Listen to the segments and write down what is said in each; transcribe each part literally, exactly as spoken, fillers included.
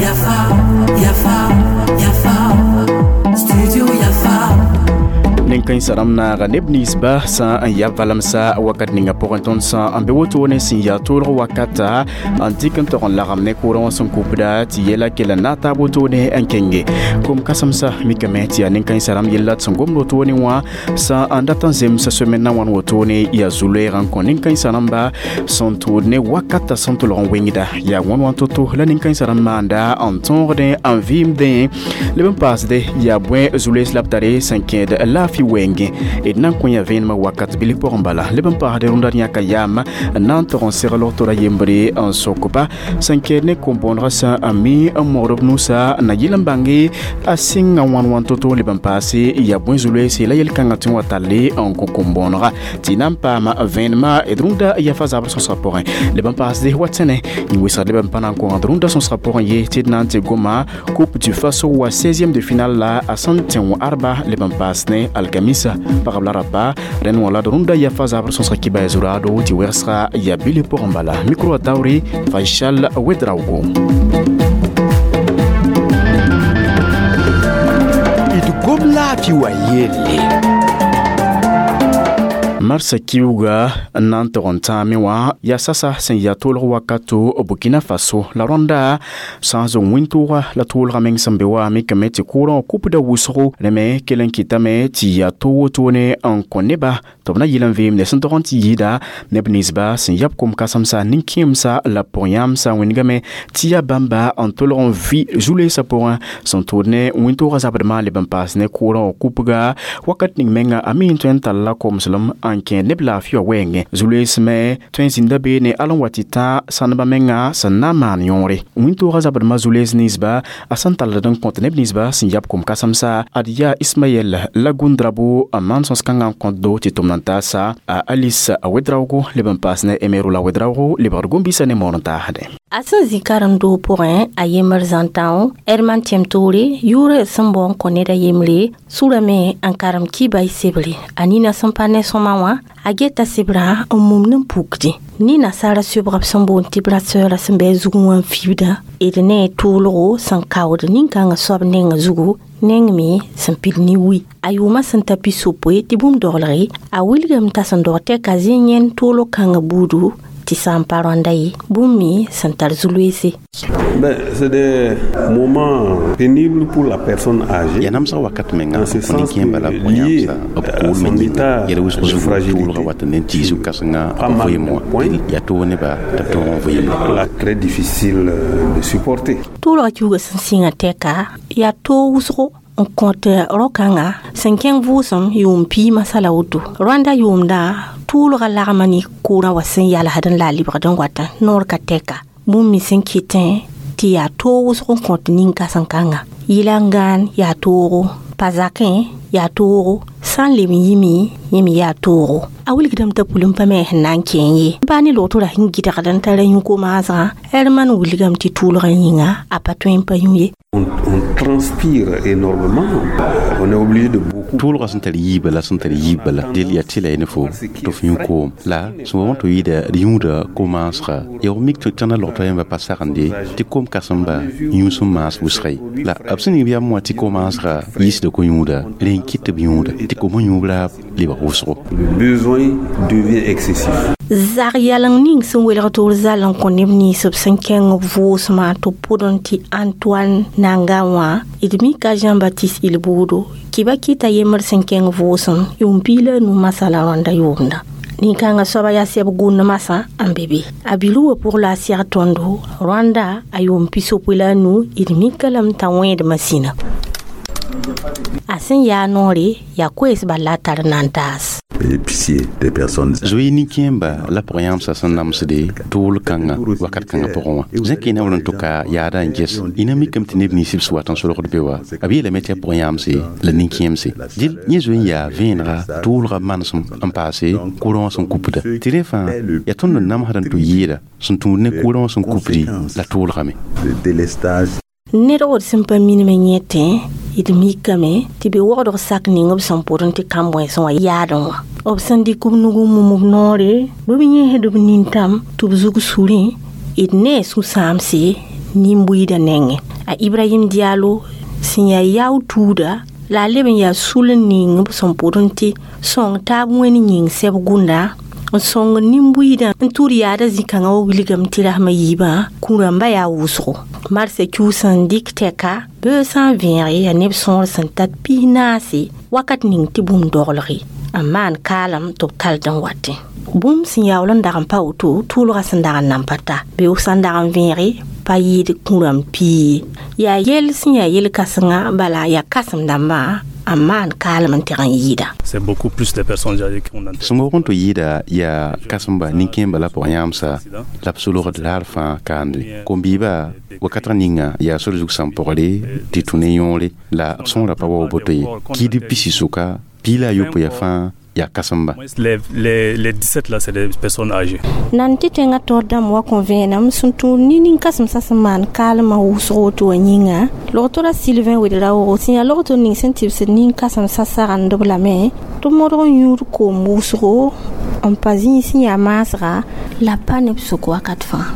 Yafa, Yafa, Yafa, Studio Yafa. Nin-kãensã rãmb naaga neb ninsba sã n ya valemsa wakat ninga pʋgẽ tõnd sã n be wotone sẽn yaa toolg wakata n dɩk n tog n lagem ne kʋʋrã wã sẽn kupda tɩ yɛla kell n na n taab wotone n kenge kom-kãsemsã mikame tɩ yaa nin-kãensã rãmb yella tɩ sẽn gomd wotone wã sã n dat n zemsa semaine na wãn wotone yaa zu-loeeg n kõ nin-kãensã rãmba sẽn tʋʋd ne wakata sẽn tʋlg n wengda yaa wãn wã to-to la nin-kãensã rãmb maanda n tõogdẽ n vɩɩmdẽ leb n paasde yaa bõe zu-loees la b tare sẽn kẽed laafɩ wɛɛngẽ d na n kõ yã vẽenemã wakat bilf pʋgẽ bala leb n paasd rũndã yãka yaam n na n tog n segl tora yembre n sokba sẽn kɛɛd ne kom-bõonegã sã n mi n mogd b nusa n na yɩl n bãnge a sɩnga wãn wãn to-to leb n paase yaa bõe zu-loeese la yel-kãngã tɩ n wa talle n kõ kom-bõonega tɩ na n paama vẽenemã d rũndã yafa zabr sõsgã pʋgẽ leb n paasde wa tẽne n wɩsgd leb n pa na n kõgd rũndã sõsgã pʋgẽ ye tɩ d na n tɩ goma Coupe du Faso wa seizième de finale la a sẽn tẽ wã arba leb n paas ne alkamisa pagb la rapa rẽnd wã la d rũndã yafa zabr sõsgã kibã ya zuraado tɩ wɛgsga yaa bilf pʋgẽ bala micro a taoore Faisal Ouedraogo. D gom laafɩ wa yelle. Marsa kiuga n na n tog n tãame wã yaa sasa sẽn yaa toolg wakato Burkina Faso la rõnda sã n zong wĩntooga la toolgã meng sẽn be wa mikame tɩ kʋʋrã wã kupda wʋsgo rẽ me kell n kɩtame tɩ yaa to wotone n kõ neba tɩ b na yɩl n veemde sẽn tog n tɩ yɩɩda neb ninsba sẽn yab kom-kãsemsa nin-kẽemsa la pʋg-yãamsa wĩndgame tɩ yaa bãmba n tolg n vɩ zu-loeesã pʋgẽ sẽn tʋʋd ne wĩntooga zabdmã leb n paas ne kʋʋrã wã kupga wakat ning menga a mi n tõe n talla komslem n kẽed neb laafɩ wã wɛɛngẽ zu-loees me tõe n zĩnda beene al n wa tɩ tã sãneba menga sẽn na n maan yõore wĩntooga zabdmã zu-loees ninsba a sẽn talld n kõt neb ninsba sẽn yab kom-kãsemsa ad yaa Ismaɛl Lagundrabo n maan sõs-kãngã n kõtdo tɩ tʋmd n taasa a Alice Ouedraogo leb n paas ne Emerola Ouedraogo lebgd gom-biisã ne moor n taasdẽ. A sẽn zĩ karen-doog pʋgẽ a yembr zãn-tão Herman Tiemtoré yʋʋr sẽn bao n kõ ned a yembre surame n karem kiba y sebre a nina sẽn pa ne sõma wã a geta sebrã n mum n pukdẽ ne nasaara sebgb sẽn boond tɩ brasseur sẽn bɩ a zugẽ wã n fibdã d ne toolgo sẽn kaood nin-kãngã soab nenga zugu neng me sẽn pid ne wi a yʋʋmã sẽn ta pisopoe tɩ bũmb doglge a wilgame t'a sẽn dog tɛka zẽ yẽnd toolg kãngã buudu tɩ sã n pa rõanda ye bũmb me sẽn tar zu-loeese. Ben, c'est des moments pénibles pour la personne âgée. Ya namsg wakat menga Dans ce kõ sens nin-kẽemba la que pʋgẽ lié yãmsa b à kool son me état yĩnga yɛl wʋsg de zugu fragilité. toolgã wat n ne tiis kãsenga Pas mal vɩɩm de wã points. yaa toog neba tɩ b tõog n vɩɩmda. Là, très difficile euh, de supporter. Toolgã kiuugã sẽn sɩngã tɛka yaa toog wʋsgo n kõt rao-kãngã sẽn kẽng vʋʋsem yʋʋm piig masala woto rõanda yʋʋmdã tʋʋlgã lagma ne kʋʋrã wa sẽn yalsd n la a lebgd n wata noor ka tɛka bũmb me sẽn kɩtẽ tɩ yaa toog wʋsg n kõt nin-kãsen-kãnga yɩla n gãan yaa toogo pa zakẽ yaa toogo sã n leb n yɩme yẽ me yaa toogo a wilgdame t'a pʋlem pa me sẽn na n kẽ ye baa ne logtora sẽn gɩdgd n tara yũ-komaasgã Herman wilgame tɩ tʋʋlgã yĩnga a pa tõe n pa yũ ye. On, on transpire énormément. On est obligé de beaucoup. Toolgã sẽn tar yiibã la sẽn tar yiib bala del yaa tɩ la y ne fo tɩ f yũ koom la sẽn wa tɩ yɩɩda d yũuda ko-maasga yaa f mik tɩ tãna logtã yãmba pa sagende tɩ kom-kãsemba yũ sẽn maas wʋsga ye la b sẽn ning yam wã tɩ ko-maasga yiisda ko-yũuda rẽ n kɩt tɩ b yũuda tɩ kom yũub raab lebg wʋsgo. Le besoin devient excessif. Zag yaleng ning sẽn welg tɩ d zal n kõ neb nins b sẽn kẽng b vʋʋsmã tɩ b pʋdẽ tɩ Antoine Nanga wã d mika Jean-Baptiste Ilboudo kɩba kɩta yembr sẽn kẽng vʋʋsem yʋʋm piig la a nu masala rõanda yʋʋmda nin-kãngã soaba yaa sɛb gũud masã n be be a bilu wã pʋg la a sɛg tõndo rõanda a yʋʋm pisopoe la a nu d mika lame t'a wẽedmã sĩna a sẽn yaa noore yaa koees bal la a tar n na n taas. Pitié des personnes. Zoe nin-kẽemba la pʋg-yãamsã sẽn namsde tool kãngã wakat kãngã pʋgẽ wã zẽk y na wall n tʋka yaada n ges y na mikame tɩ neb nins b sẽn wat n solgd be wa b yeelame tɩ yaa pʋg-yãamse la nin-kẽemse dɩl yẽ zoe n yaa vẽenega toolga manesem n paase kʋrã wã sẽn kupda tɩ rẽ fãa yaa tõnd n namsd n tʋ yɩɩda sẽn tũud ne kʋʋrã wã sẽn kupdi la toolgame. Le délestage. Ned wod sẽn pa minime yẽtẽ d mikame tɩ be wogdg sak ning b sẽn pʋdẽ tɩ kãn-bõensẽ wã yaadẽ wã B sẽn dɩk b nug n mum b noore bɩ b yẽsd b nintãm tɩ b zug surẽ d ne a sũ-sãamse nin-buiidã nengẽ. A Ibrahim Diallo sẽn yaa yao tuuda la a leb n yaa sul n ning b sẽn pʋd n tɩ sõng taab wẽnd yĩng sɛb gũnda n sõng nin-buiidã n tʋʋd yaada zĩ-kãngã wa wilgame tɩ rasmã yiibã kũ-rãmbã yaa wʋsgo. Marsã kius n dɩk tɛka beoog sã n vẽege yaa neb sõor sẽn tar pis naase wakat ning tɩ bũmb doglge n maan kaalem tɩ b tall n watẽ. Bũmb sẽn yaool n dag n pa woto tʋʋlgã sẽn dag n nan pa ta beoog sã n dag n vẽege pa yɩɩd kũ-rãmb pii ye. Yaa yell sẽn yaa yel-kãsenga bala yaa kãsem dãmbã n maan kaalem n teg n yɩɩda. C'est beaucoup plus de personnes âgées qu'on Sẽn wog n tɩ yɩɩda yaa kãsemba nin-kẽemba la pʋgã yãamsa la b solgd laar fãa kaande. Kom-biibã wakatg ninga yaa sor zug sãn pɔgre tɩ tũ ne yõore la b sõora pa wa boto ye. Kiidb pisi sʋka piig la a yopoe yaa fãa yaa kãsemba. Les, les, les dix-sept là, c'est des personnes âgées. Nan tɩ tẽngã taoor dãmb wa kõ vẽenem sẽn tũud ne nin-kãsemsã sẽn maan kaalmã wʋsg woto wã yĩnga. Logtora Sylvain Ouedraogo sẽn yaa logto ning sẽn tɩbsd nin-kãsemsã sagend-b lame tɩ modg n yũud koom wʋsgo n pa zĩig sẽn yaa maasga la pa neb sʋk wakat fãa.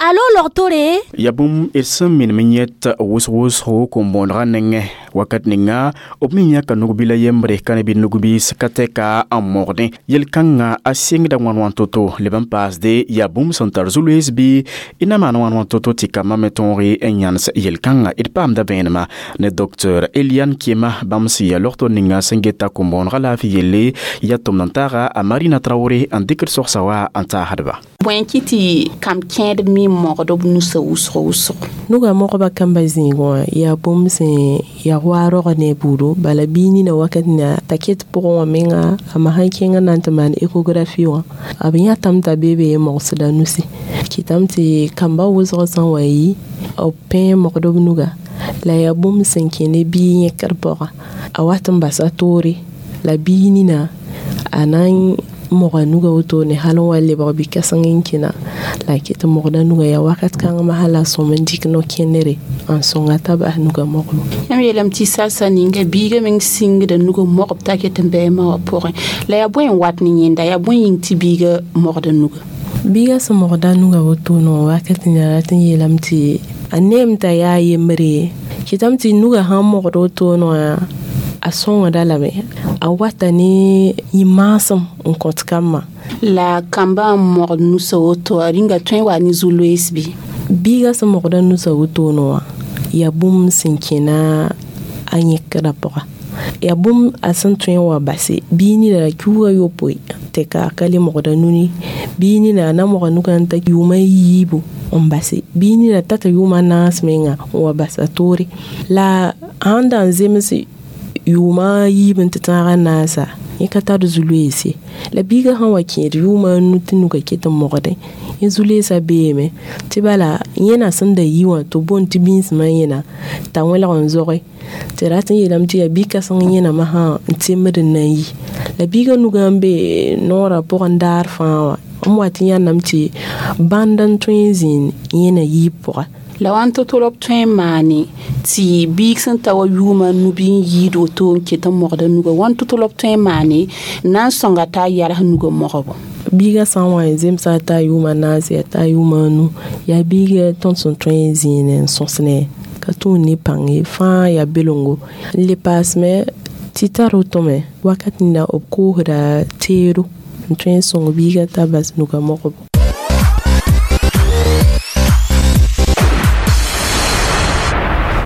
Alo logtore. Ya bũmb d sẽn minem n yẽt wʋsg-wʋsgo kom-bõonegã nengẽ wakat ninga b me yãka nug-bila yembre ka ne bɩ nug-biis ka tɛka n mogdẽ yel-kãngã a sɩngda wãn-wãn to-to leb n paasde yaa bũmb sẽn tar zu-loees bɩ y na maan wãn-wãn to-to tɩ kambã me tõoge n yãnes yel-kãngã. D paamda vẽenema ne docteur Eliane Kema bãmb sẽn yaa logto ninga sẽn geta kom-bõonegã laafɩ yelle yaa tʋmd n taaga a Marina Traoré n dɩkd sogsa wa n taasdba. Bõe kɩ tɩ kam kẽedb me mogd b nusã wʋsg wʋsgo? Nuga mogba kamba zĩigẽ wã yaa bũmb sẽn yaa wa rog ne buudo bala bii nina wakat na t'a ket pʋgẽ wã menga a ma sãn kẽng na n tɩ maan échographie wã a b yãtame t'a bee be mogsda nusi kɩtame tɩ kamba wʋsg sã n wa yi b pẽ mogd b nuga la yaa bũmb sẽn kẽ ne bii yẽkr pʋga a wat n basa toore la bii nina a na n moga nuga woto ne hal n wa lebg bi-kãseng n kẽna la a ket n mogda nuga yaa wakat kãng masã la sõm n dɩk no-kẽnere n sõnga t'a bas nuga mogbo. Yãmb yeelame tɩ sasa ninga biigã meng sĩngda nugã mogb t'a ket n bɩ ma wã pʋgẽ la yaa bõe n wat ne yẽnda yaa bõe yĩng tɩ biigã mogda nuga? Biigã sẽn mogda nuga woto no wakat nin rat n yeelame tɩ a neem t'a yaa yembre kɩtame tɩ nuga sãn mogd woto wã a sõngda lame a wata ne yĩ-maasem n kõt kambã. La kambã n mogd nusã woto a rĩnga tõe n wa ne zu-loees bɩ? Biigã sẽn mogda nusã wotoone wã yaa bũmb sẽn kẽna a yẽkdã pʋga yaa bũmb a sẽn tõe n wa base bii nina la kiuugã yopoe tɩ ka ka le mogda nuni bii nina a na moga nugã n ta yʋʋma yiibu n base bii nina tata yʋʋma naas menga n wa basa toore la sãn da n zems yʋʋma yiib n tɩ tãagã naasa yẽ ka tar zu-loees ye la biigã sã n wa kẽed yʋʋma a nu tɩ nuga ket n mogdẽ yẽ zu-loeesã beeme tɩ bala yẽna sẽn da yi wã tɩ b boond tɩ bĩnsmã yẽna t'a wẽlg n zoge tɩ rat n yeelame tɩ yaa bi-kãseng yẽna masã n temd n na n yi la biigã nugã n be noorã pʋgẽ daar fãa wã n wat n yãnname tɩ bãnd n tõe n zĩnd yẽna yiib pʋga. La wãn to-to la b tõe n maane tɩ biig sẽn ta wa yʋʋma nu bɩ n yɩɩd woto n ket n mogda nuga wãn to-to la b tõe n maane n na n sõnga t'a yals nugã mogbo? Biigã sã n wa n zemsa t'a yʋʋma naase yaa t'a yʋʋma nu yaa biigã tõnd sẽn tõe n zĩine n sõsne ka tũud ne pãng ye fãa yaa belongo n le paasme tɩ tar wotome wakat nina b koosda teedo n tõe n sõng biigã t'a bas nugã mogbo.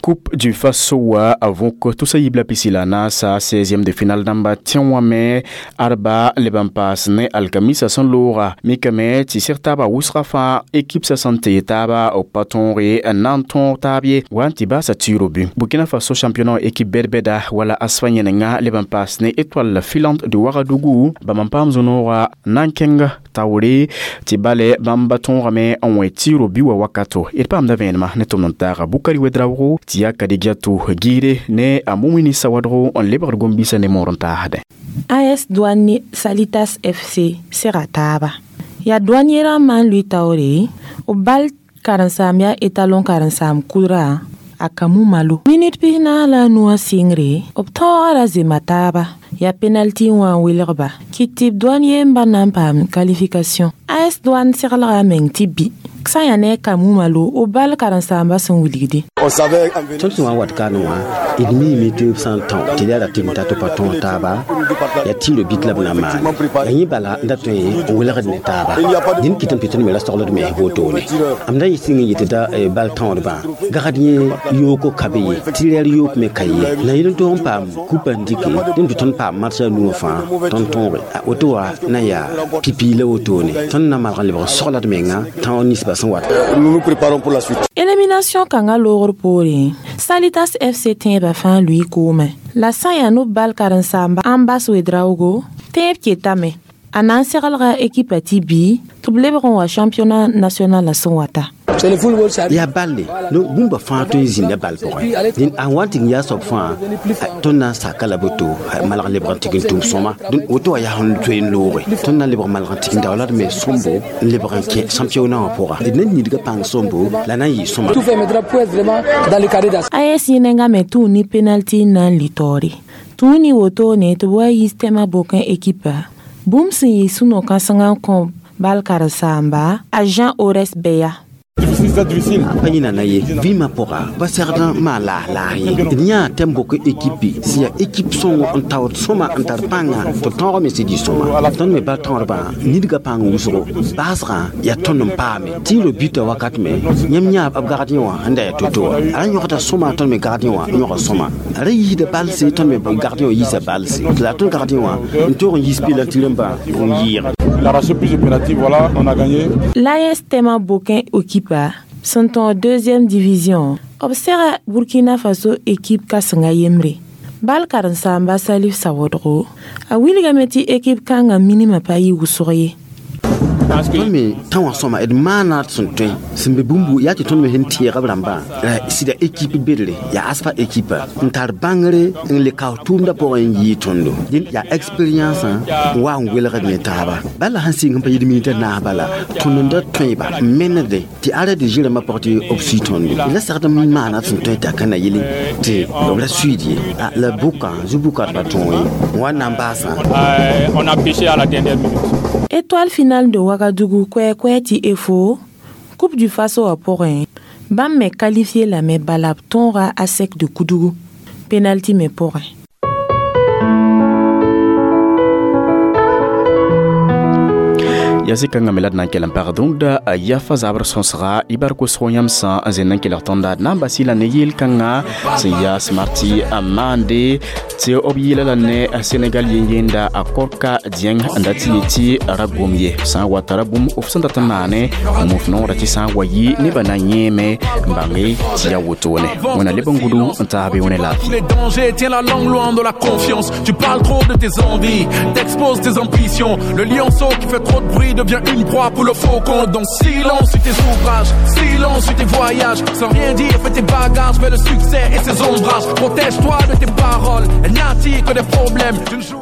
Coupe du Faso wa avok tusa yibla pisila na sa seizième de finale dãmba tẽ wã me arba leb n paas ne alkamisa sẽn looga mikame tɩ seg taaba wʋsga fãa équipe sa sẽn tee taaba b pa tõoge n na n tõog taab ye wa n tɩ baasa tɩɩro bɩ. Burkina Faso championnat équipe bɛd-bɛda wala asfa yẽnenga leb n paas ne Étoile filante de Ouagadougou bãmb n paam zũ-nooga na n kẽng taoore tɩ bale bãmb tõogame n wẽ tɩɩro bɩ wa wakato. D paamda vẽenema ne tʋmd n taaga Bukari Wedraogo tɩ yaa Kadidiatou giire ne a Mumini Sawadgo n lebgd gom-biisã ne moor n taasdẽ. A S Douane Salitas F C sega taaba yaa douanier rãmbã n lʋɩ taoore b bal karen-saam yaa étalon karen-saam kudra a Kamou Malo minute pisnaas la a nuwã sɩngre b tõoga ra zema taaba yaa penalty n wã n welgba kɩt tɩ b Douane yemba na n paam qualification. A S Douane seglga a meng tɩ bɩ sã n yaa ne a Kamou Malo b bal karen-saambã sẽn wilgde. Tõnd sẽn wa n wat kaane wã, d miime tɩ b sã n tão tɩ d yaa ra tɩ b ta tɩ pa tõog taaba yaa tɩɩro bit la b na n maane yaa yẽ bala n da tõe n welgd ne taaba. Dĩn kɩtame tɩ tõnd me ra sogld mens wotone. M da sɩng n yetɩ da bal tõodbã gagd yẽ yooko ka be ye, tɩ rɛɛr yook me ka ye la yel n tog n paam kupa n dɩke dẽn tɩ tõnd paam marsã nuwã fãa tõnd tõoge woto wa na n yaa pipi la wotone tõnd na malg n lebg sogld menga tão ninsbã sẽn wat. Élimination kãngã loogr poorẽ, Salitas F C tẽebã fãa lʋɩ koomẽ la sã n yaa nob bal karen-saamba Ambas Wedraogo tẽeb ketame a na n seglga ekipa tɩ bɩ tɩ b lebg n wa championnat national la sẽn wata. Yaa balle bũmba fãa tõe n zĩnda bal pʋgẽ. Dẽn a wa n tɩ yaa soab fãa tõnd na n saka la boto malg n lebg n tɩg n tʋm sõma. Woto wã yaa sẽn tõe n looge tõnd na n lebg malg n tɩg n daola d me sõmbo n lebg n kẽ championnat wã pʋga. D na nidga pãng sõmbo la na n yɩ sõma. A S yẽnengã me tũu ne penalty n na n lɩ taoore tũu ne wotone tɩ b wa yis tɛmã bokẽ ekipa bũmb sẽn yɩ sũ-no-kãsengã n kõ bal karen-saamba a Jean Ores Beya. Pa yĩna na ye vɩɩmã pʋga pa segd n maan laas laas ye. D yãa tɛm bok ekipe sẽn yaa ekip sõngo n taood sõma n tar pãnga tɩ b tõog me sẽd yɩ sõma. Tõnd me bal tõodbã nidga pãng wʋsgo baasgã yaa tõnd n paame tɩɩro bita wakat me yãmb yãa b gagd yẽ wã n da yaa to-to wã a ra yõgda sõma tõnd me gagd yẽ wã yõga sõma a ra yiisda balse tõnd me gagd yẽ wã yiisa balse la tõnd gagd yẽ wã n toog n yiis pila tɩ rẽmba n yɩɩge. Il a arraché plus de pénalty, voilà, on a gagné. L'A S Tema Bokin Okipa sont en deuxième division. B sega Burkina Faso équipe kãsenga yembre. Bal karen-saamba Salif Sawodgo a wilgame tɩ équipe kãngã minimã pa yɩ wʋsg ye. Tõnd me tã wã sõma d maana sẽn tõe sẽn be bũmbu yaa tɩ tõnd me sẽn tẽega b rãmbã la sɩda équipe bedre yaa asfa équipe n tar bãngre n le kaoos tʋʋmdã pʋgẽ n yɩɩ tõndo. Dẽn yaa expérience n wa n welgd ne taaba bala sẽn sɩng n pa yɩd minit a naas bala tõnd n da tõeba n menede tɩ ara de zɩrãmbã pʋgẽ tɩ b sui tõndo la segd n maana sẽn tõe t'a ka na yele tɩ b ra suiid ye la bʋkã zu-bʋka d pa tõog ye n wa na n baasã. On a pêché à la dernière minute. Étoile finale de Ouagadougou kwɛ-kwɛ tɩ efo Coupe du Faso wã pʋgẽ bãmb me qualifié lame bala b tõoga ASEC de Koudougou penalty me pʋgẽ. Ya sɩkãngã me la d na n kell n pag dũnda yafa zabr sõsga y bark wʋsg yãmb sã n zẽnd n kelg tõnda d na n bas y la ne yeel-kãngã sẽn yaa smarti n maande tɩ b yɩɩla la ne Senegal yen-yenda a Korka Dieng n dat tɩ yetɩ ra gom ye sã n wata ra bũmb f sẽn dat n maane n muf noorã tɩ sã n wa yɩ nebã na yẽeme n bãnge tɩ yaa wotone. Wẽna leb n gudu n taas be wẽne laafɩ. Les dangers, tiens la langue loin de la confiance. Tu parles trop de tes envies, t'exposes tes ambitions. Le lionceau qui fait trop de bruit devient une proie pour le faucon. Donc silence sur tes ouvrages, silence sur tes voyages. Sans rien dire, fais tes bagages, fais le succès et ses ombrages. Protège-toi de tes paroles, elles n'attirent que des problèmes. Tu ne joues